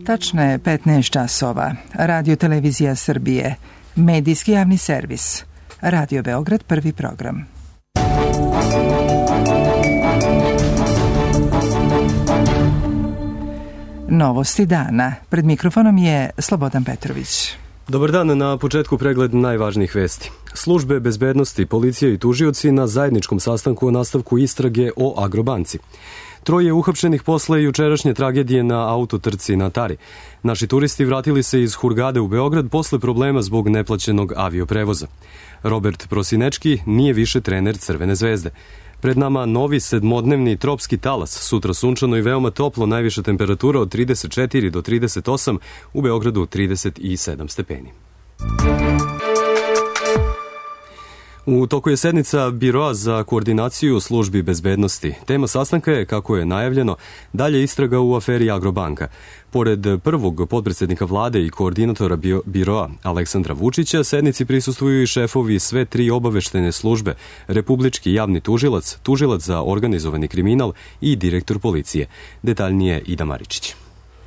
Tačno je 15 časova. Radio Televizija Srbije. Medijski javni servis. Radio Beograd, prvi program. Novosti dana. Pred mikrofonom je Slobodan Petrović. Dobar dan, na početku pregled najvažnijih vesti. Službe bezbednosti, policija i tužioci na zajedničkom sastanku o nastavku istrage o Agrobanci. Troje uhapšenih posle jučerašnje tragedije na autotrci na Tari. Naši turisti vratili se iz Hurgade u Beograd posle problema zbog neplaćenog avioprevoza. Robert Prosinečki nije više trener Crvene zvezde. Pred nama novi sedmodnevni tropski talas, sutra sunčano i veoma toplo, najviša temperatura od 34 do 38, u Beogradu 37 stepeni. U toku je sednica Biroa za koordinaciju službi bezbednosti. Tema sastanka je, kako je najavljeno, dalje istraga u aferi Agrobanka. Pored prvog potpredsednika vlade i koordinatora Biroa Aleksandra Vučića, sednici prisustvuju i šefovi sve tri obaveštene službe, Republički javni tužilac, tužilac za organizovani kriminal i direktor policije. Detaljnije Ida Maričić.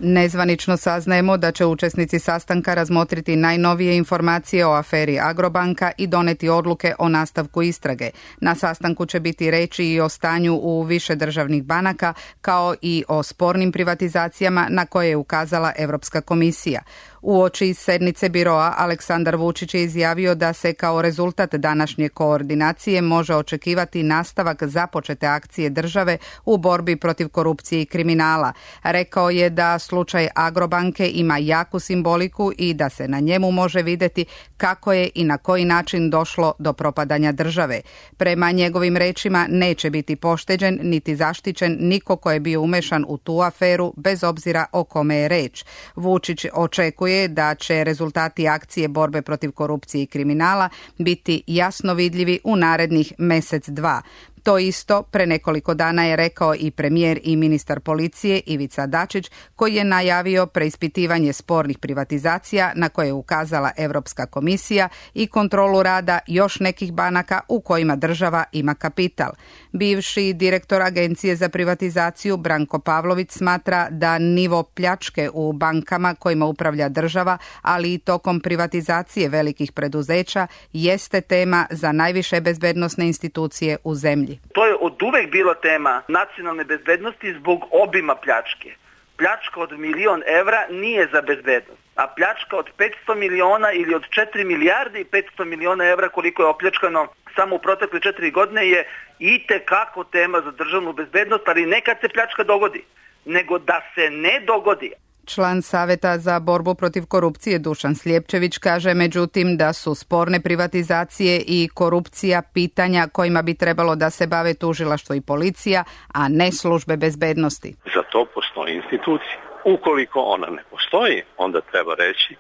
Nezvanično saznajemo da će učesnici sastanka razmotriti najnovije informacije o aferi Agrobanka i doneti odluke o nastavku istrage. Na sastanku će biti reči i o stanju u više državnih banaka, kao i o spornim privatizacijama na koje je ukazala Evropska komisija. Uoči sednice Biroa, Aleksandar Vučić je izjavio da se kao rezultat današnje koordinacije može očekivati nastavak započete akcije države u borbi protiv korupcije i kriminala. Rekao je da slučaj Agrobanke ima jaku simboliku i da se na njemu može videti kako je i na koji način došlo do propadanja države. Prema njegovim rečima neće biti pošteđen niti zaštićen niko ko je bio umešan u tu aferu, bez obzira o kome je reč. Vučić očekuje da će rezultati akcije borbe protiv korupcije i kriminala biti jasno vidljivi u narednih mesec-dva. To isto pre nekoliko dana je rekao i premijer i ministar policije Ivica Dačić, koji je najavio preispitivanje spornih privatizacija na koje je ukazala Evropska komisija i kontrolu rada još nekih banaka u kojima država ima kapital. Bivši direktor Agencije za privatizaciju Branko Pavlović smatra da nivo pljačke u bankama kojima upravlja država, ali i tokom privatizacije velikih preduzeća, jeste tema za najviše bezbednosne institucije u zemlji. To je od uvek bila tema nacionalne bezbednosti zbog obima pljačke. Pljačka od 1.000.000 evra nije za bezbednost, a pljačka od 500 miliona ili od 4 milijarde i 500 miliona evra koliko je opljačkano samo u protekle 4 godine je itekako tema za državnu bezbednost, ali ne kad se pljačka dogodi, nego da se ne dogodi. Član Saveta za borbu protiv korupcije Dušan Slijepčević kaže međutim da su sporne privatizacije i korupcija pitanja kojima bi trebalo da se bave tužilaštvo i policija, a ne službe bezbednosti. Za to postoji institucija. Ukoliko ona ne postoji, onda treba reći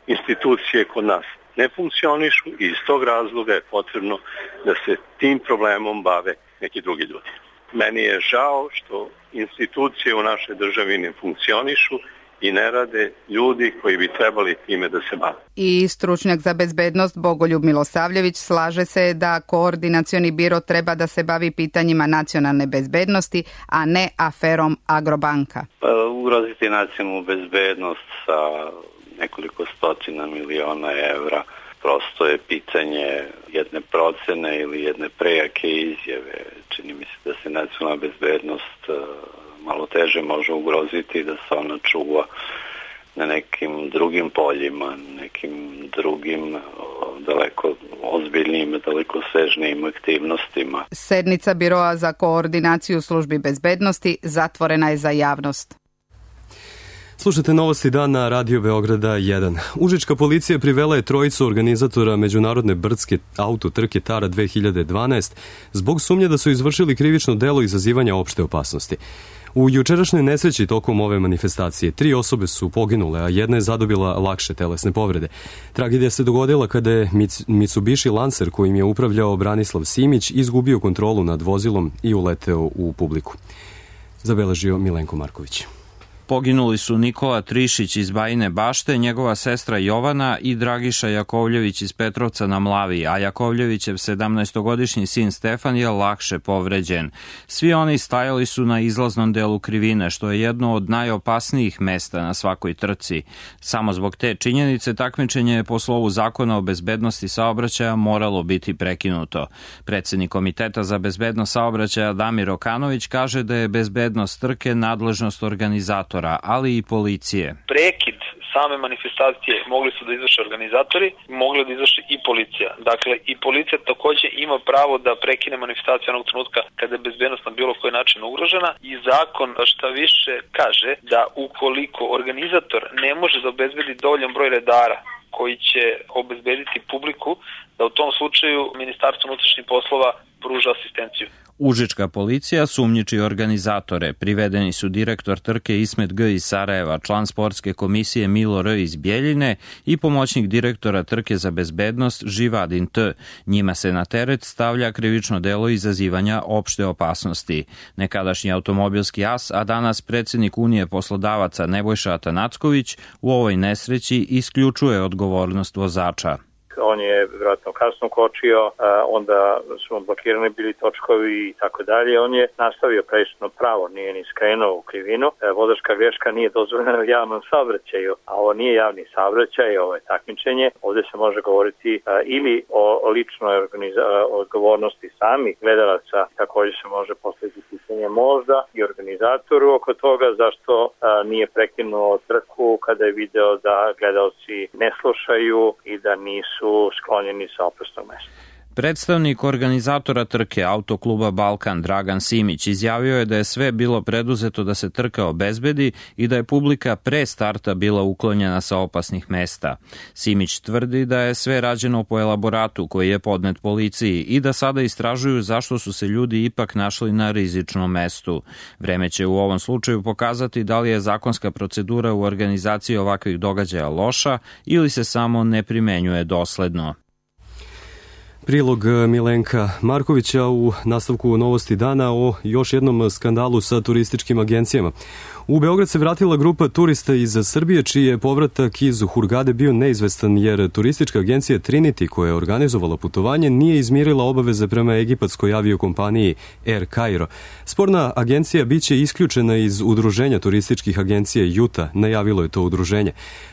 institucije kod nas ne funkcionišu i iz tog razloga je potrebno da se tim problemom bave neki drugi ljudi. Meni je žao što institucije u našoj državi ne funkcionišu i ne rade ljudi koji bi trebali time da se bave. I stručnjak za bezbednost Bogoljub Milosavljević slaže se da koordinacioni biro treba da se bavi pitanjima nacionalne bezbednosti, a ne aferom Agrobanka. Ugroziti nacionalnu bezbednost sa nekoliko stotina miliona evra prosto je pitanje jedne procene ili jedne prejake izjave. Čini mi se da se nacionalna bezbednost malo teže može ugroziti, da se ona čuva na nekim drugim poljima, nekim drugim daleko ozbiljnim, daleko sežnijim aktivnostima. Sednica Biroa za koordinaciju službi bezbednosti zatvorena je za javnost. Slušajte novosti dana Radio Beograda 1. Užička policija privela je trojicu organizatora međunarodne brdske autotrke Tara 2012 zbog sumnje da su izvršili krivično delo izazivanja opšte opasnosti. U jučerašnjoj nesreći tokom ove manifestacije 3 osobe su poginule, a jedna je zadobila lakše telesne povrede. Tragedija se dogodila kada je Mitsubishi Lancer, kojim je upravljao Branislav Simić, izgubio kontrolu nad vozilom i uleteo u publiku. Zabeležio Milenko Marković. Poginuli su Nikola Trišić iz Bajine Bašte, njegova sestra Jovana i Dragiša Jakovljević iz Petrovca na Mlavi, a Jakovljevićev 17-godišnji sin Stefan je lakše povređen. Svi oni stajali su na izlaznom delu krivine, što je jedno od najopasnijih mesta na svakoj trci. Samo zbog te činjenice takmičenje je po slovu Zakona o bezbednosti saobraćaja moralo biti prekinuto. Predsednik Komiteta za bezbednost saobraćaja Damir Okanović kaže da je bezbednost trke nadležnost organizatora, ali i policije. Prekid same manifestacije mogli su da izvrše organizatori, mogli da izvrše i policija. Dakle, i policija takođe ima pravo da prekine manifestaciju onog trenutka kada je bezbednost na bilo koji način ugrožena i zakon šta više kaže da ukoliko organizator ne može da obezbedi dovoljan broj redara koji će obezbediti publiku, da u tom slučaju Ministarstvo unutrašnjih poslova pruža asistenciju. Užička policija sumnjiči organizatore. Privedeni su direktor trke Ismet G. iz Sarajeva, član sportske komisije Milo R. iz Bjeljine i pomoćnik direktora trke za bezbednost Živadin T. Njima se na teret stavlja krivično delo izazivanja opšte opasnosti. Nekadašnji automobilski as, a danas predsjednik Unije poslodavaca Nebojša Atanacković, u ovoj nesreći isključuje odgovornost vozača. On je vjerojatno kasno kočio, onda su blokirani bili točkovi i tako dalje. On je nastavio prečino pravo, nije ni skrenuo u krivinu. Vozačka greška nije dozvoljena u javnom saobraćaju, a ovo nije javni saobraćaj, ovo je takmičenje. Ovdje se može govoriti ili o ličnoj odgovornosti samih gledalaca, također se može postaviti pitanje možda i organizatoru oko toga zašto nije prekinuo trku kada je video da gledalci ne slušaju i da nisu sklonjeni sa opasnog mesta. Predstavnik organizatora trke Autokluba Balkan Dragan Simić izjavio je da je sve bilo preduzeto da se trka obezbedi i da je publika pre starta bila uklonjena sa opasnih mesta. Simić tvrdi da je sve rađeno po elaboratu koji je podnet policiji i da sada istražuju zašto su se ljudi ipak našli na rizičnom mestu. Vreme će u ovom slučaju pokazati da li je zakonska procedura u organizaciji ovakvih događaja loša ili se samo ne primenjuje dosledno. Prilog Milenka Markovića u nastavku Novosti dana o još jednom skandalu sa turističkim agencijama. U Beograd se vratila grupa turista iz Srbije, čiji je povratak iz Hurgade bio neizvestan jer turistička agencija Trinity, koja je organizovala putovanje, nije izmirila obaveze prema egipatskoj aviokompaniji Air Cairo. Sporna agencija biće isključena iz udruženja turističkih agencija Juta, najavilo je to udruženje.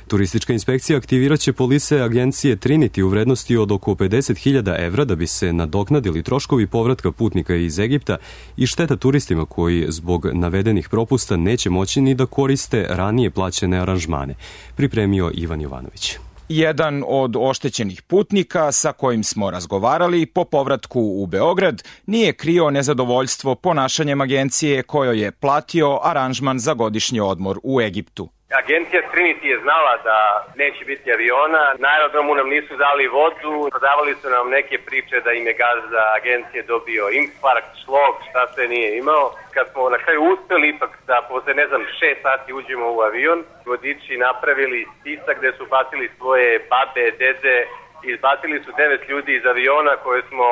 Turistička inspekcija aktiviraće polise agencije Trinity u vrednosti od oko 50.000 evra da bi se nadoknadili troškovi povratka putnika iz Egipta i šteta turistima koji zbog navedenih propusta neće moći ni da koriste ranije plaćene aranžmane, pripremio Ivan Jovanović. Jedan od oštećenih putnika sa kojim smo razgovarali po povratku u Beograd nije krio nezadovoljstvo ponašanjem agencije kojoj je platio aranžman za godišnji odmor u Egiptu. Agencija Trinity je znala da neće biti aviona, na aerodromu nam nisu dali vodu, prodavali su nam neke priče da im je gazda agencije dobio infarkt, šlog, šta se nije imao. Kad smo na kraju uspeli ipak da posle 6 sati uđemo u avion, vodiči napravili spisak gde su bacili svoje babe, dede i izbacili su 9 ljudi iz aviona koje smo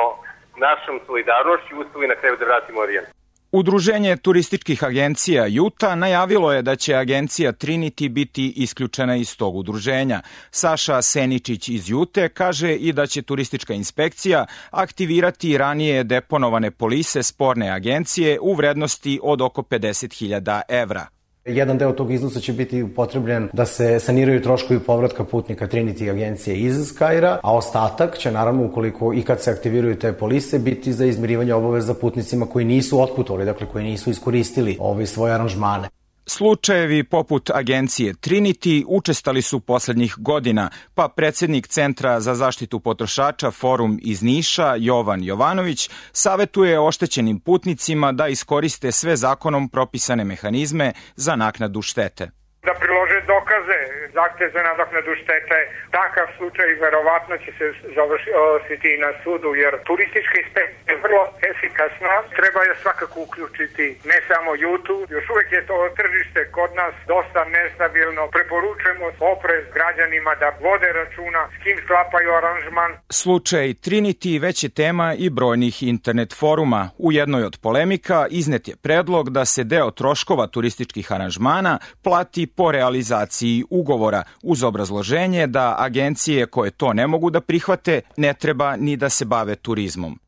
našom solidarnošću uspeli na kraju da vratimo avion. Udruženje turističkih agencija Juta najavilo je da će agencija Trinity biti isključena iz tog udruženja. Saša Seničić iz Jute kaže i da će turistička inspekcija aktivirati ranije deponovane polise sporne agencije u vrednosti od oko 50.000 evra. Jedan deo tog iznosa će biti upotrebljen da se saniraju troškovi povratka putnika Trinity agencije iz Kaira, a ostatak će naravno, ukoliko i kad se aktiviraju te polise, biti za izmirivanje obaveza putnicima koji nisu otputovali, dakle koji nisu iskoristili svoje aranžmane. Slučajevi poput agencije Trinity učestali su poslednjih godina, pa predsjednik Centra za zaštitu potrošača Forum iz Niša, Jovan Jovanović, savetuje oštećenim putnicima da iskoriste sve zakonom propisane mehanizme za naknadu štete. Da prilože dokaz dokaze, zahtev za nadoknadu štete. Takav slučaj verovatno će se završiti i na sudu, jer turistička inspekcija je vrlo efikasna. Treba je svakako uključiti, ne samo YouTube. Još uvijek je to tržište kod nas dosta nestabilno. Preporučujemo oprez građanima da vode računa s kim sklapaju aranžman. Slučaj Trinity već je tema i brojnih internet foruma. U jednoj od polemika iznet je predlog da se deo troškova turističkih aranžmana plati po realizaciji ugovora, uz obrazloženje da agencije koje to ne mogu da prihvate ne treba ni da se bave turizmom.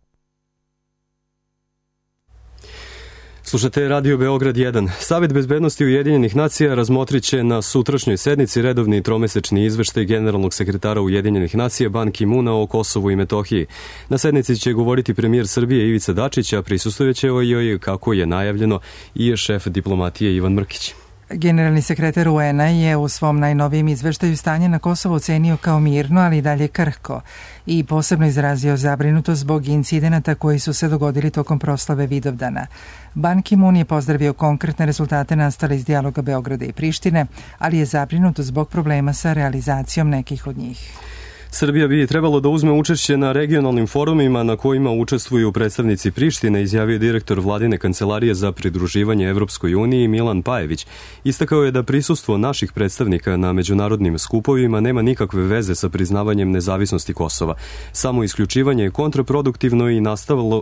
Slušate Radio Beograd 1. Savet bezbednosti Ujedinjenih nacija razmotrit će na sutrašnjoj sednici redovni tromesečni izveštaj generalnog sekretara Ujedinjenih nacija Ban Ki-muna o Kosovu i Metohiji. Na sednici će govoriti premijer Srbije Ivica Dačić, a prisustvovaće joj, kako je najavljeno, i šef diplomatije Ivan Mrkić. Generalni sekretar UN-a je u svom najnovijem izveštaju stanje na Kosovu ocenio kao mirno, ali i dalje krhko, i posebno izrazio zabrinutost zbog incidenata koji su se dogodili tokom proslave Vidovdana. Ban Ki-mun je pozdravio konkretne rezultate nastale iz dijaloga Beograda i Prištine, ali je zabrinut zbog problema sa realizacijom nekih od njih. Srbija bi trebalo da uzme učešće na regionalnim forumima na kojima učestvuju predstavnici Prištine, izjavio direktor Vladine kancelarije za pridruživanje Evropskoj uniji Milan Pajević. Istakao je da prisustvo naših predstavnika na međunarodnim skupovima nema nikakve veze sa priznavanjem nezavisnosti Kosova. Samo isključivanje je kontraproduktivno i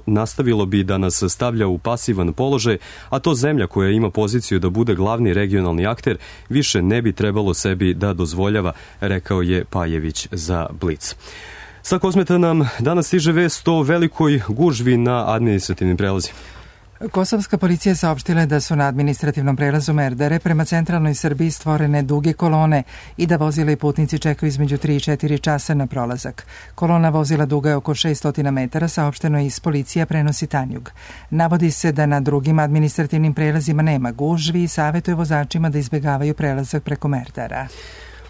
nastavilo bi da nas stavlja u pasivan položaj, a to zemlja koja ima poziciju da bude glavni regionalni akter više ne bi trebalo sebi da dozvoljava, rekao je Pajević za Blic. Sa Kosmeta nam danas stiže vest o velikoj gužvi na administrativnim prelazima. Kosovska policija saopštila je da su na administrativnom prelazu Merdare prema centralnoj Srbiji stvorene duge kolone i da vozila i putnici čekaju između 3 i 4 časa na prolazak. Kolona vozila duga je oko 600 metara, saopšteno je iz policija, prenosi Tanjug. Navodi se da na drugim administrativnim prelazima nema gužvi i savjetuje vozačima da izbjegavaju prelazak preko Merdara.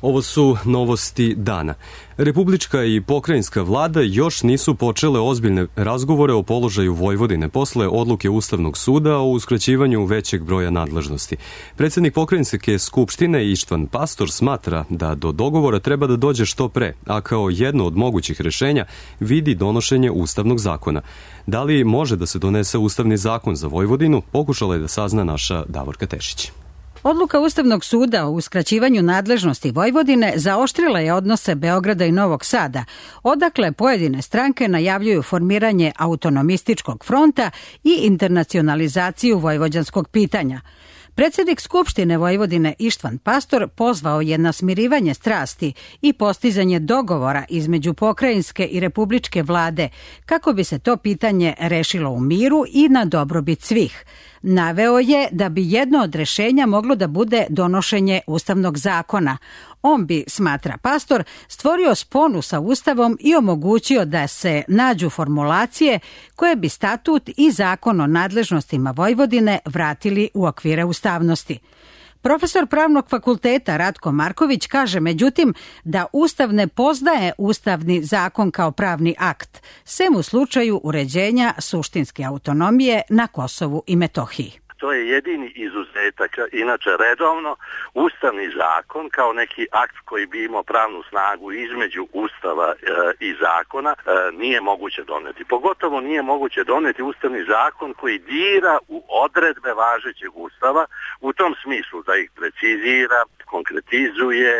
Ovo su novosti dana. Republička i pokrajinska vlada još nisu počele ozbiljne razgovore o položaju Vojvodine posle odluke Ustavnog suda o uskraćivanju većeg broja nadležnosti. Predsjednik pokrajinske skupštine Ištvan Pastor smatra da do dogovora treba da dođe što pre, a kao jedno od mogućih rešenja vidi donošenje Ustavnog zakona. Da li može da se donese Ustavni zakon za Vojvodinu, pokušala je da sazna naša Davorka Tešić. Odluka Ustavnog suda o uskraćivanju nadležnosti Vojvodine zaoštrila je odnose Beograda i Novog Sada, odakle pojedine stranke najavljuju formiranje autonomističkog fronta i internacionalizaciju vojvođanskog pitanja. Predsjednik Skupštine Vojvodine Ištvan Pastor pozvao je na smirivanje strasti i postizanje dogovora između pokrajinske i republičke vlade kako bi se to pitanje rešilo u miru i na dobrobit svih. Naveo je da bi jedno od rešenja moglo da bude donošenje Ustavnog zakona. On bi, smatra Pastor, stvorio sponu sa Ustavom i omogućio da se nađu formulacije koje bi statut i zakon o nadležnostima Vojvodine vratili u okvire ustavnosti. Profesor Pravnog fakulteta Ratko Marković kaže međutim da Ustav ne poznaje Ustavni zakon kao pravni akt, sem u slučaju uređenja suštinske autonomije na Kosovu i Metohiji. To je jedini izuzetak. Inače, redovno, Ustavni zakon kao neki akt koji bi imao pravnu snagu između Ustava i zakona nije moguće doneti. Pogotovo nije moguće doneti Ustavni zakon koji dira u odredbe važećeg Ustava u tom smislu da ih precizira, konkretizuje,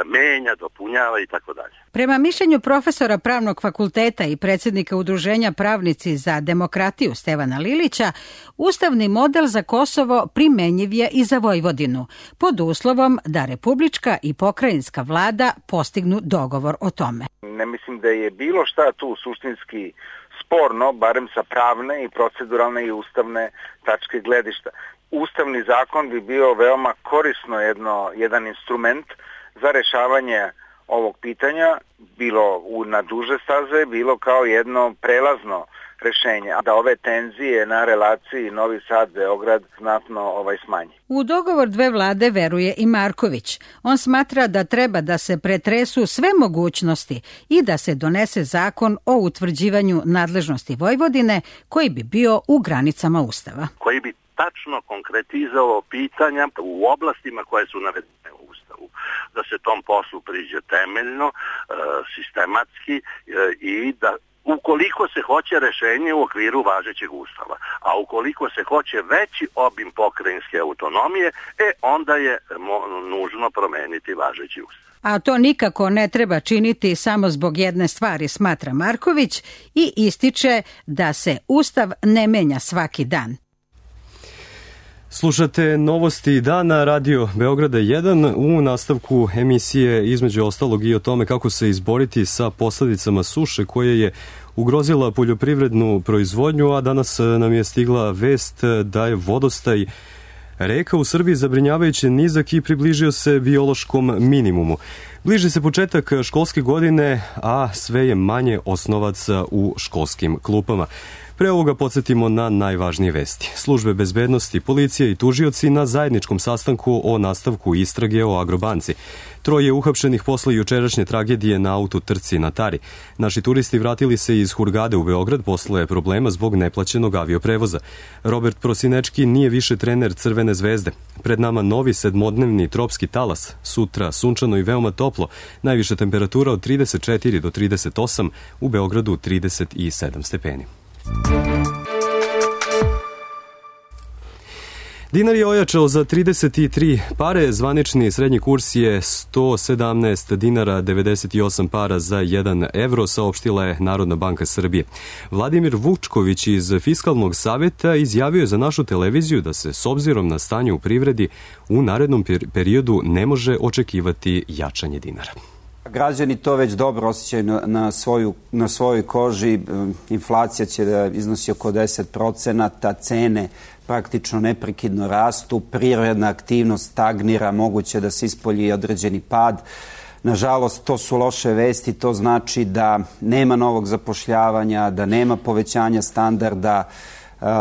menja, dopunjava i tako dalje. Prema mišljenju profesora Pravnog fakulteta i predsjednika Udruženja Pravnici za demokratiju Stevana Lilića, ustavni model za Kosovo primenjiv je i za Vojvodinu, pod uslovom da republička i pokrajinska vlada postignu dogovor o tome. Ne mislim da je bilo šta tu suštinski sporno, barem sa pravne i proceduralne i ustavne tačke gledišta. Ustavni zakon bi bio veoma korisno jedan instrument za rešavanje ovog pitanja, bilo na duže staze, bilo kao jedno prelazno rešenje, da ove tenzije na relaciji Novi Sad-Beograd znatno smanji. U dogovor dve vlade veruje i Marković. On smatra da treba da se pretresu sve mogućnosti i da se donese zakon o utvrđivanju nadležnosti Vojvodine koji bi bio u granicama Ustava. Koji bi tačno konkretizao pitanja u oblastima koje su navedene u Ustavu. Da se tom poslu priđe temeljno, sistematski i da ukoliko se hoće rešenje u okviru važećeg Ustava, a ukoliko se hoće veći obim pokrajinske autonomije, onda je nužno promeniti važeći Ustav. A to nikako ne treba činiti samo zbog jedne stvari, smatra Marković, i ističe da se Ustav ne menja svaki dan. Slušate Novosti dana, Radio Beograda 1, u nastavku emisije između ostalog i o tome kako se izboriti sa posledicama suše koje je ugrozila poljoprivrednu proizvodnju, a danas nam je stigla vest da je vodostaj reka u Srbiji zabrinjavajuće nizak i približio se biološkom minimumu. Bliži se početak školske godine, a sve je manje osnovaca u školskim klupama. Pre ovoga podsjetimo na najvažnije vesti. Službe bezbednosti, policija i tužioci na zajedničkom sastanku o nastavku istrage o Agrobanci. 3 uhapšenih posle jučerašnje tragedije na autotrci na Tari. Naši turisti vratili se iz Hurgade u Beograd posle problema zbog neplaćenog avioprevoza. Robert Prosinečki nije više trener Crvene zvezde. Pred nama novi 7-dnevni tropski talas. Sutra sunčano i veoma toplo. Najviša temperatura od 34 do 38, u Beogradu 37 stepeni. Dinar je ojačao za 33 pare, zvanični srednji kurs je 117 dinara 98 para za 1 evro, saopštila je Narodna banka Srbije. Vladimir Vučković iz Fiskalnog saveta izjavio je za našu televiziju da se s obzirom na stanje u privredi u narednom periodu ne može očekivati jačanje dinara. Građani to već dobro osjećaju na svojoj koži. Inflacija će da iznosi oko 10%, cene praktično neprekidno rastu, privredna aktivnost stagnira, moguće da se ispolji određeni pad. Nažalost, to su loše vesti, to znači da nema novog zapošljavanja, da nema povećanja standarda,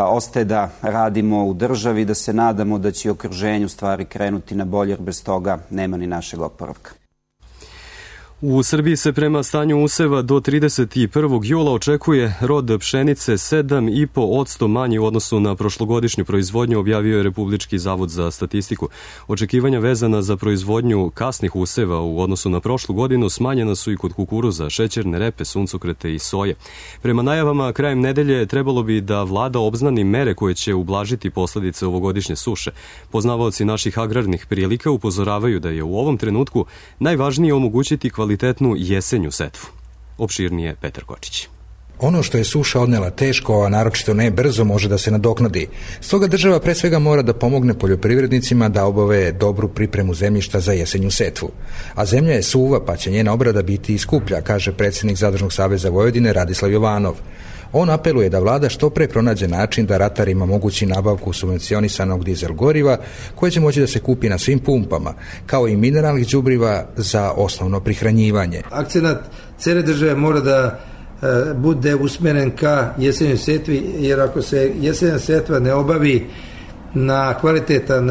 ostaje da radimo u državi, da se nadamo da će i okruženju stvari krenuti na bolje, jer bez toga nema ni našeg oporavka. U Srbiji se prema stanju useva do 31. jula očekuje rod pšenice 7,5% manji u odnosu na prošlogodišnju proizvodnju, objavio je Republički zavod za statistiku. Očekivanja vezana za proizvodnju kasnih useva u odnosu na prošlu godinu smanjena su i kod kukuruza, šećerne repe, suncokrete i soje. Prema najavama, krajem nedelje trebalo bi da vlada obznani mere koje će ublažiti posledice ovogodišnje suše. Poznavaoci naših agrarnih prilika upozoravaju da je u ovom trenutku najvažnije omogućiti kvalitetnu jesenju setvu. Opširnije Petar Kočić. Ono što je suša odnela teško, a naročito ne brzo, može da se nadoknadi. Stoga država pre svega mora da pomogne poljoprivrednicima da obave dobru pripremu zemljišta za jesenju setvu. A zemlja je suva, pa će njena obrada biti i skuplja, kaže predsjednik Zadružnog saveza Vojvodine Radislav Jovanov. On apeluje da vlada što pre pronađe način da ratarima omogući nabavku subvencionisanog dizel goriva koje će moći da se kupi na svim pumpama, kao i mineralnih đubriva za osnovno prihranjivanje. Akcenat cele države mora da bude usmeren ka jesenjoj setvi, jer ako se jesenja setva ne obavi na kvalitetan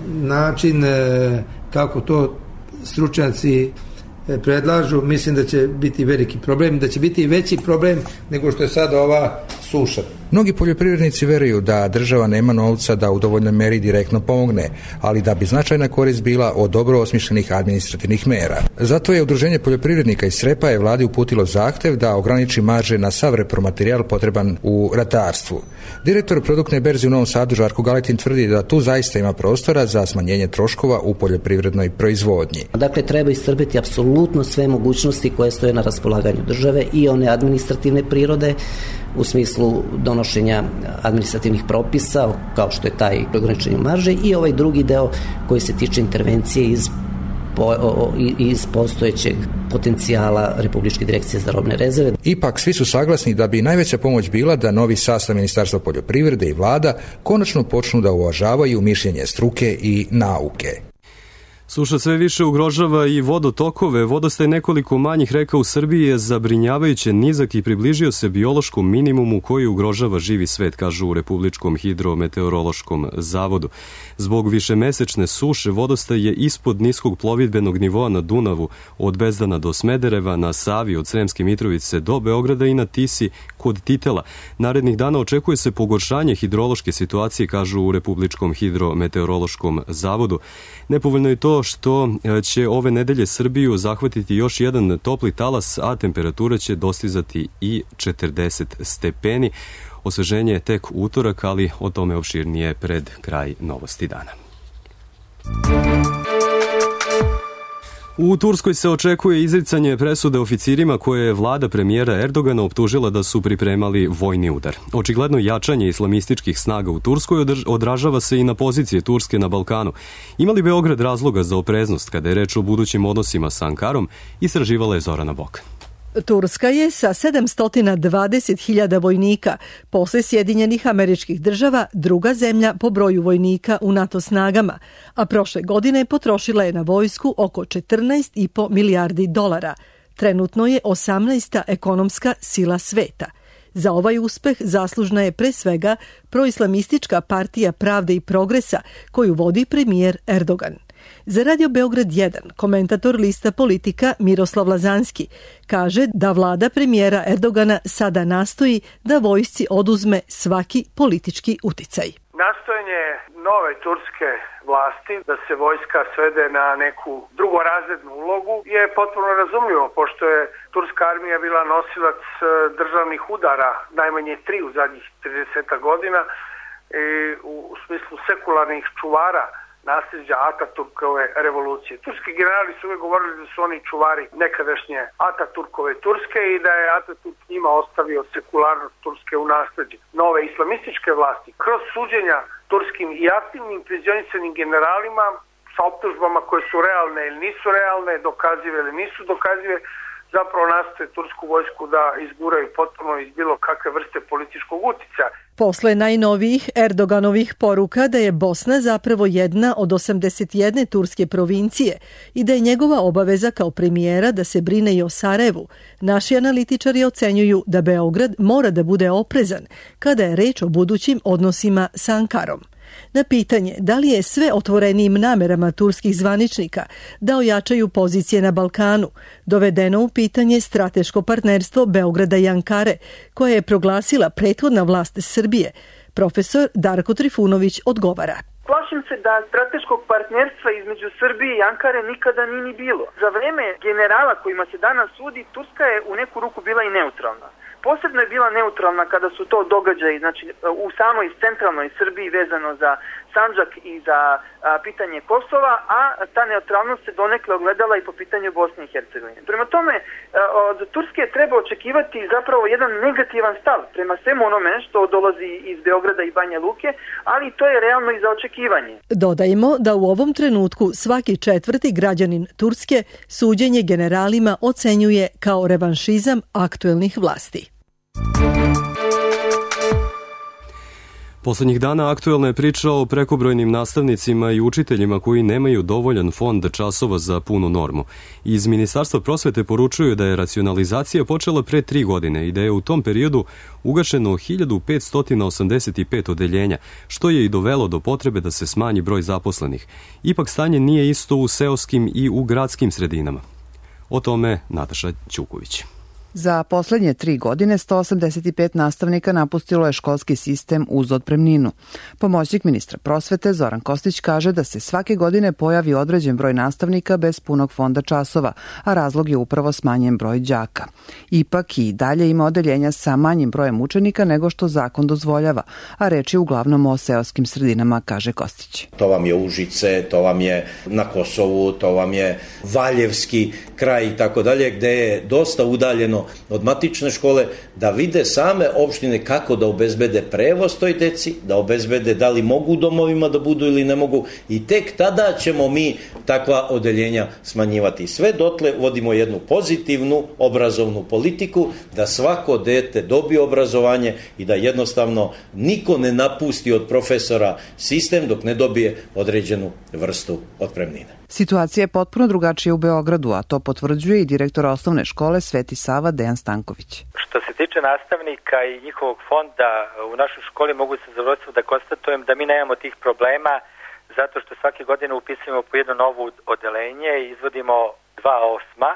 način kako to stručnjaci predlažu, mislim da će biti veliki problem, da će biti veći problem nego što je sada ova suša. Mnogi poljoprivrednici veruju da država nema novca da u dovoljnoj meri direktno pomogne, ali da bi značajna korist bila od dobro osmišljenih administrativnih mera. Zato je Udruženje poljoprivrednika iz Srepaje vladi uputilo zahtev da ograniči marže na sav repromaterijal potreban u ratarstvu. Direktor produktne berze u Novom Sadu Žarko Galetin tvrdi da tu zaista ima prostora za smanjenje troškova u poljoprivrednoj proizvodnji. Dakle, treba iscrpiti apsolutno sve mogućnosti koje stoje na raspolaganju države, i one administrativne prirode u smislu donošenja administrativnih propisa, kao što je taj ograničenje marže, i ovaj drugi deo koji se tiče intervencije iz postojećeg potencijala Republičke direkcije za robne rezerve. Ipak svi su saglasni da bi najveća pomoć bila da novi sastav Ministarstva poljoprivrede i vlada konačno počnu da uvažavaju mišljenje struke i nauke. Suša sve više ugrožava i vodotokove. Vodostaj nekoliko manjih reka u Srbiji je zabrinjavajuće nizak i približio se biološkom minimumu koji ugrožava živi svet, kažu u Republičkom hidrometeorološkom zavodu. Zbog višemesečne suše vodostaj je ispod niskog plovidbenog nivoa na Dunavu od Bezdana do Smedereva, na Savi od Sremske Mitrovice do Beograda i na Tisi kod Titela. Narednih dana očekuje se pogoršanje hidrološke situacije, kažu u Republičkom hidrometeorološkom zavodu. Nepovoljno je to što će ove nedelje Srbiju zahvatiti još jedan topli talas, a temperatura će dostizati i 40 stepeni. Osveženje je tek utorak, ali o tome opširnije pred kraj novosti dana. U Turskoj se očekuje izricanje presude oficirima koje je vlada premijera Erdogana optužila da su pripremali vojni udar. Očigledno jačanje islamističkih snaga u Turskoj odražava se i na pozicije Turske na Balkanu. Ima li Beograd razloga za opreznost kada je reč o budućim odnosima sa Ankarom, istraživala je Zorana Bokan. Turska je sa 720.000 vojnika posle Sjedinjenih Američkih Država druga zemlja po broju vojnika u NATO snagama, a prošle godine potrošila je na vojsku oko 14,5 milijardi dolara. Trenutno je 18. ekonomska sila sveta. Za ovaj uspeh zaslužna je pre svega proislamistička partija Pravde i progresa koju vodi premijer Erdogan. Za Radio Beograd 1, komentator lista Politika Miroslav Lazanski kaže da vlada premijera Erdogana sada nastoji da vojsci oduzme svaki politički uticaj. Nastojanje nove turske vlasti da se vojska svede na neku drugorazrednu ulogu je potpuno razumljivo, pošto je turska armija bila nosilac državnih udara, najmanje 3 u zadnjih 30 godina, i u smislu sekularnih čuvara nasljeđa Ataturkove revolucije. Turski generali su uvijek govorili da su oni čuvari nekadašnje Ataturkove Turske i da je Ataturk njima ostavio sekularnost Turske u nasljeđe. Nove islamističke vlasti kroz suđenja turskim i aktivnim penzionisanim generalima sa optužbama koje su realne ili nisu realne, dokazive ili nisu dokazive, zapravo nastoje tursku vojsku da izguraju potpuno iz bilo kakve vrste političkog uticaja. Posle najnovijih Erdoganovih poruka da je Bosna zapravo jedna od 81 turske provincije i da je njegova obaveza kao premijera da se brine i o Sarajevu, naši analitičari ocenjuju da Beograd mora da bude oprezan kada je reč o budućim odnosima sa Ankarom. Na pitanje da li je sve otvorenijim namerama turskih zvaničnika da ojačaju pozicije na Balkanu dovedeno u pitanje strateško partnerstvo Beograda i Ankare, koje je proglasila prethodna vlast Srbije, profesor Darko Trifunović odgovara. Plašim se da strateškog partnerstva između Srbije i Ankare nikada nije ni bilo. Za vreme generala kojima se danas sudi, Turska je u neku ruku bila i neutralna. Posebno je bila neutralna kada su to događaji, znači u samoj centralnoj Srbiji vezano za Sandžak i za pitanje Kosova, a ta neutralnost se donekle ogledala i po pitanju Bosne i Hercegovine. Prema tome, od Turske treba očekivati zapravo jedan negativan stav prema svemu onome što dolazi iz Beograda i Banja Luke, ali to je realno i za očekivanje. Dodajmo da u ovom trenutku svaki 4. građanin Turske suđenje generalima ocenjuje kao revanšizam aktuelnih vlasti. Poslednjih dana aktuelna je priča o prekobrojnim nastavnicima i učiteljima koji nemaju dovoljan fond časova za punu normu. Iz Ministarstva prosvete poručuju da je racionalizacija počela pre 3 godine i da je u tom periodu ugašeno 1585 odeljenja, što je i dovelo do potrebe da se smanji broj zaposlenih. Ipak stanje nije isto u seoskim i u gradskim sredinama. O tome Nataša Ćuković. Za poslednje 3 godine 185 nastavnika napustilo je školski sistem uz otpremninu. Pomoćnik ministra prosvete Zoran Kostić kaže da se svake godine pojavi određen broj nastavnika bez punog fonda časova, a razlog je upravo smanjen broj đaka. Ipak i dalje ima odeljenja sa manjim brojem učenika nego što zakon dozvoljava, a reč je uglavnom o seoskim sredinama, kaže Kostić. To vam je Užice, to vam je na Kosovu, to vam je Valjevski kraj i tako dalje, gde je dosta udaljeno od matične škole, da vide same opštine kako da obezbede prevoz toj deci, da obezbede da li mogu u domovima da budu ili ne mogu, i tek tada ćemo mi takva odeljenja smanjivati. Sve dotle vodimo jednu pozitivnu obrazovnu politiku, da svako dete dobije obrazovanje i da jednostavno niko ne napusti od profesora sistem dok ne dobije određenu vrstu otpremnine. Situacija je potpuno drugačija u Beogradu, a to potvrđuje i direktor osnovne škole Sveti Sava Dejan Stanković. Što se tiče nastavnika i njihovog fonda u našoj školi, mogu se zadovoljstvo da konstatujem da mi nemamo tih problema zato što svake godine upisujemo po jedno novo odeljenje, izvodimo 2 osma,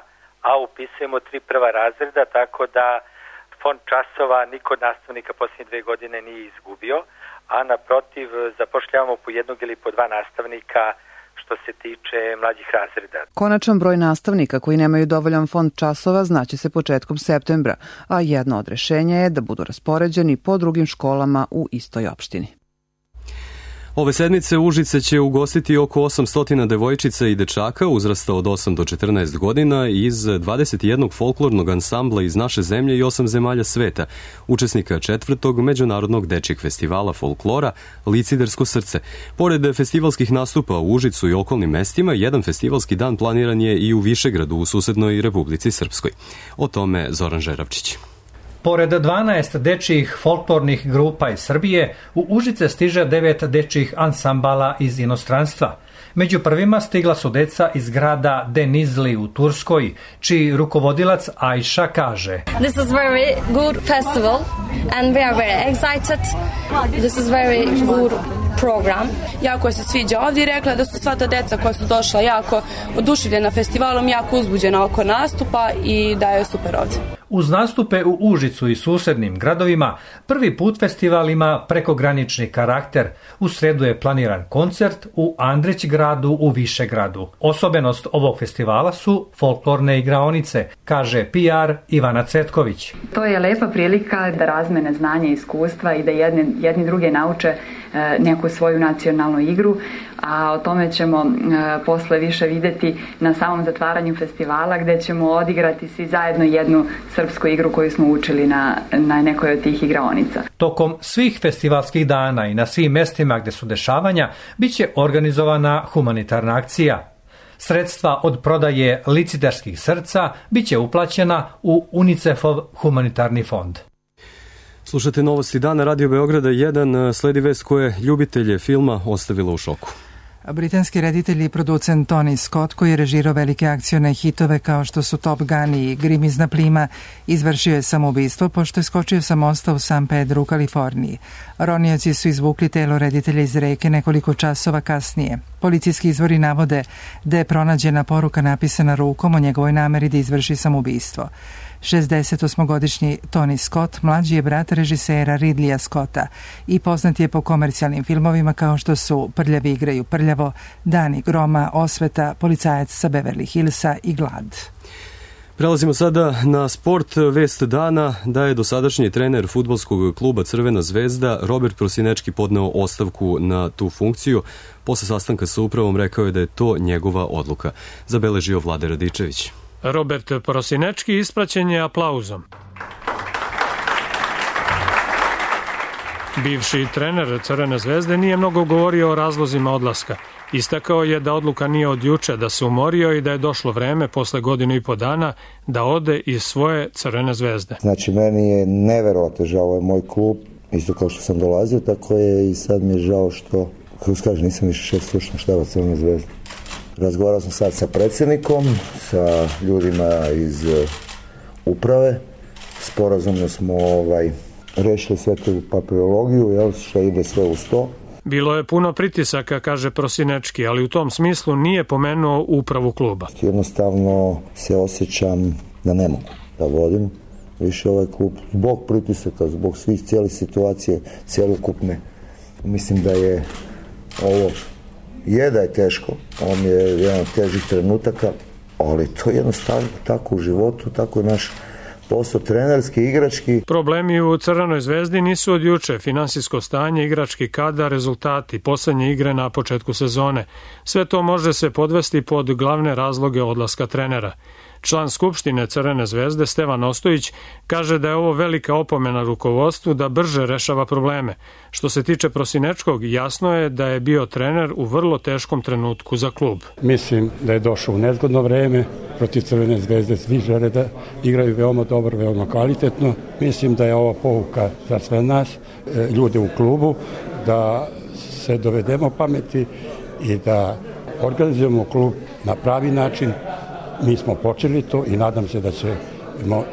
a upisujemo 3 prva razreda, tako da fond časova niko od nastavnika posljednje 2 godine nije izgubio, a naprotiv zapošljavamo po 1 ili po 2 nastavnika što se tiče mlađih razreda. Konačan broj nastavnika koji nemaju dovoljan fond časova znaće se početkom septembra, a jedno od rešenja je da budu raspoređeni po drugim školama u istoj opštini. Ove sedmice Užice će ugostiti oko 800 devojčica i dečaka uzrasta od 8 do 14 godina iz 21 folklornog ansambla iz naše zemlje i 8 zemalja sveta, učesnika 4. Međunarodnog dečjeg festivala folklora Licidersko srce. Pored festivalskih nastupa u Užicu i okolnim mestima, jedan festivalski dan planiran je i u Višegradu u susednoj Republici Srpskoj. O tome Zoran Žeravčić. Pored 12 dečjih folklornih grupa iz Srbije, u Užice stiže 9 dečjih ansambala iz inostranstva. Među prvima stigla su deca iz grada Denizli u Turskoj, čiji rukovodilac Ajša kaže: This is very good festival and we are very excited. This is very good program. Jako se sviđa ovdje i rekla da su sva ta deca koja su došla jako oduševljena festivalom, jako uzbuđena oko nastupa i da je super ovdje. Uz nastupe u Užicu i susednim gradovima, prvi put festival ima prekogranični karakter. U sredu je planiran koncert u Andrić gradu u Višegradu. Osobenost ovog festivala su folklorne igraonice, kaže PR Ivana Cetković. To je lepa prilika da razmene znanja i iskustva i da jedni druge nauče neku svoju nacionalnu igru, a o tome ćemo posle više videti na samom zatvaranju festivala, gde ćemo odigrati svi zajedno jednu srpsku igru koju smo učili na nekoj od tih igraonica. Tokom svih festivalskih dana i na svim mestima gde su dešavanja biće organizovana humanitarna akcija. Sredstva od prodaje Liciderskih srca biće uplaćena u UNICEF-ov humanitarni fond. Slušate Novosti dana, Radio Beograda 1, sledi vest koje ljubitelje filma ostavila u šoku. Britanski reditelj i producent Tony Scott, koji je režirao velike akcione hitove kao što su Top Gun i Grimizna plima, izvršio je samoubistvo pošto je skočio sa mosta u San Pedro u Kaliforniji. Ronioci su izvukli telo reditelja iz reke nekoliko časova kasnije. Policijski izvori navode da je pronađena poruka napisana rukom o njegovoj nameri da izvrši samoubistvo. 68-godišnji Tony Scott mlađi je brat režisera Ridleya Scotta i poznat je po komercijalnim filmovima kao što su Prljavi igraju prljavo, Dani groma, Osveta, Policajac sa Beverly Hillsa i Glad. Prelazimo sada na sport. Vest dana da je dosadašnji trener fudbalskog kluba Crvena zvezda Robert Prosinečki podneo ostavku na tu funkciju. Posle sastanka sa upravom rekao je da je to njegova odluka. Zabeležio Vlade Radičević. Robert Prosinečki ispraćen je aplauzom. Bivši trener Crvene zvezde nije mnogo govorio o razlozima odlaska. Istakao je da odluka nije od juče, da se umorio i da je došlo vreme posle 1,5 dana da ode iz svoje Crvene zvezde. Znači, meni je neverovatno žao, ovo je moj klub, isto kao što sam dolazio, tako je i sad mi je žao što, kako se kaže, nisam više šef stručnog štaba Crvene zvezde. Razgovarao sam sad sa predsjednikom, sa ljudima iz uprave, sporazumno smo rešili sve tu papirologiju, što ide sve uz to. Bilo je puno pritisaka, kaže Prosinečki, ali u tom smislu nije pomenuo upravu kluba. Jednostavno se osjećam da ne mogu da vodim više ovaj klub zbog pritisaka, zbog svih cijelih situacije, cijelokupne. Mislim da je ovo da je teško, on je jedan od težih trenutaka, ali to je jednostavno tako u životu, tako je naš posao trenerski, igrački. Problemi u Crvenoj zvezdi nisu od juče. Finansijsko stanje, igrački kadar, rezultati, poslednje igre na početku sezone. Sve to može se podvesti pod glavne razloge odlaska trenera. Član Skupštine Crvene zvezde Stevan Ostojić kaže da je ovo velika opomena rukovodstvu da brže rešava probleme. Što se tiče Prosinečkog, jasno je da je bio trener u vrlo teškom trenutku za klub. Mislim da je došao u nezgodno vreme. Protiv Crvene zvezde svi žele da igraju veoma dobro, veoma kvalitetno. Mislim da je ova pouka za sve nas, ljude u klubu, da se dovedemo pameti i da organizujemo klub na pravi način. Mi smo počeli to i nadam se da ćemo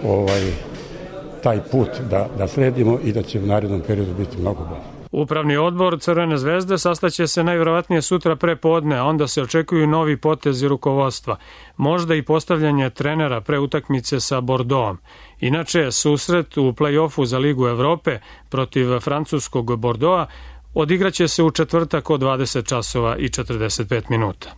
taj put da sledimo i da će u narednom periodu biti mnogo bolje. Upravni odbor Crvene zvezde sastaće se najvjerovatnije sutra pre podne, a onda se očekuju novi potezi rukovodstva. Možda i postavljanje trenera pre utakmice sa Bordeauxom. Inače, susret u play-offu za Ligu Evrope protiv francuskog Bordeauxa odigraće se u četvrtak od 20 časova i 45 minuta.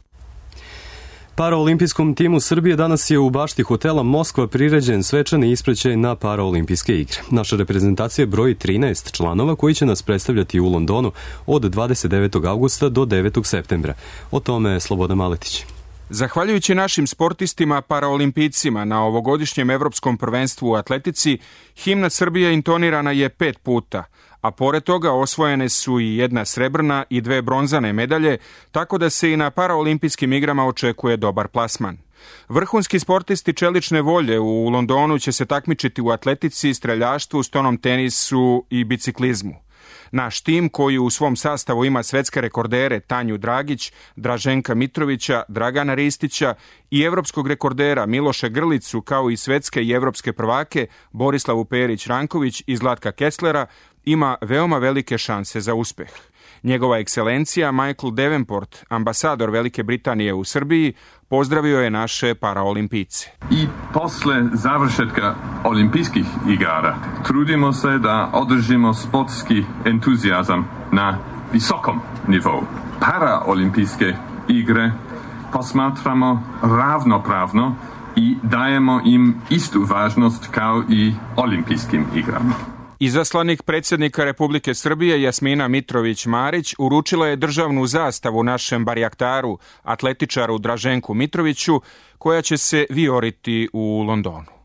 Paraolimpijskom timu Srbije danas je u bašti hotela Moskva priređen svečani ispraćaj na Paraolimpijske igre. Naša reprezentacija broji 13 članova koji će nas predstavljati u Londonu od 29. avgusta do 9. septembra. O tome Slobodan Maletić. Zahvaljujući našim sportistima paraolimpijcima na ovogodišnjem evropskom prvenstvu u atletici, himna Srbije intonirana je 5 puta, a pored toga osvojene su i 1 srebrna i 2 bronzane medalje, tako da se i na paraolimpijskim igrama očekuje dobar plasman. Vrhunski sportisti čelične volje u Londonu će se takmičiti u atletici, streljaštvu, stonom tenisu i biciklizmu. Naš tim, koji u svom sastavu ima svetske rekordere Tanju Dragić, Draženka Mitrovića, Dragana Ristića i evropskog rekordera Miloša Grlicu, kao i svetske i evropske prvake Borislavu Perić-Ranković i Zlatka Kesslera, ima veoma velike šanse za uspeh. Njegova ekscelencija Michael Davenport, ambasador Velike Britanije u Srbiji, pozdravio je naše paraolimpijce. I posle završetka olimpijskih igara trudimo se da održimo sportski entuzijazam na visokom nivou. Paraolimpijske igre posmatramo ravnopravno i dajemo im istu važnost kao i olimpijskim igrama. Izaslanik predsjednika Republike Srbije Jasmina Mitrović-Marić uručila je državnu zastavu našem barjaktaru, atletičaru Draženku Mitroviću, koja će se vijoriti u Londonu.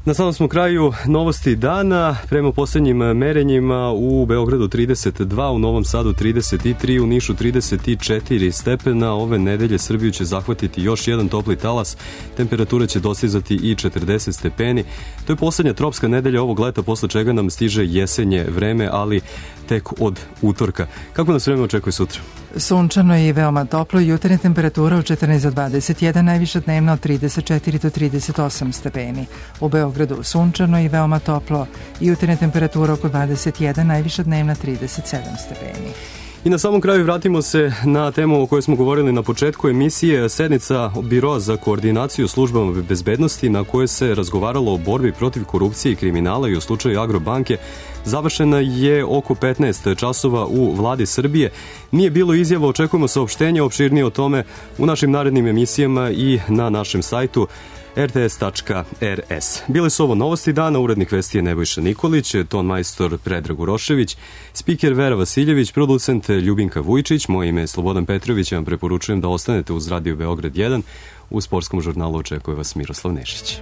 Na samom smo kraju novosti dana. Prema posljednjim merenjima u Beogradu 32, u Novom Sadu 33, u Nišu 34 stepena. Ove nedelje Srbiju će zahvatiti još jedan topli talas. Temperatura će dostizati i 40 stepeni. To je posljednja tropska nedelja ovog leta, posle čega nam stiže jesenje vreme, ali tek od utorka. Kako nas vreme očekuje sutra? Sunčano i veoma toplo, jutarnja temperatura od 14 do 21, najviša dnevna od 34 do 38 stepeni. U Beogradu sunčano i veoma toplo, jutarnja temperatura oko 21, najviša dnevna 37 stepeni. I na samom kraju vratimo se na temu o kojoj smo govorili na početku emisije, sednica Biroa za koordinaciju službama bezbednosti na kojoj se razgovaralo o borbi protiv korupcije i kriminala i o slučaju Agrobanke. Završena je oko 15 časova u Vladi Srbije. Nije bilo izjava, očekujemo saopštenje opširnije o tome u našim narednim emisijama i na našem sajtu rts.rs. Bile su ovo novosti dana, urednik vesti je Nebojša Nikolić, ton majstor Predrag Urošević, spiker Vera Vasiljević, producent Ljubinka Vujčić, moje ime je Slobodan Petrović, ja vam preporučujem da ostanete uz Radio Beograd 1. U sportskom žurnalu očekuje vas Miroslav Nešić.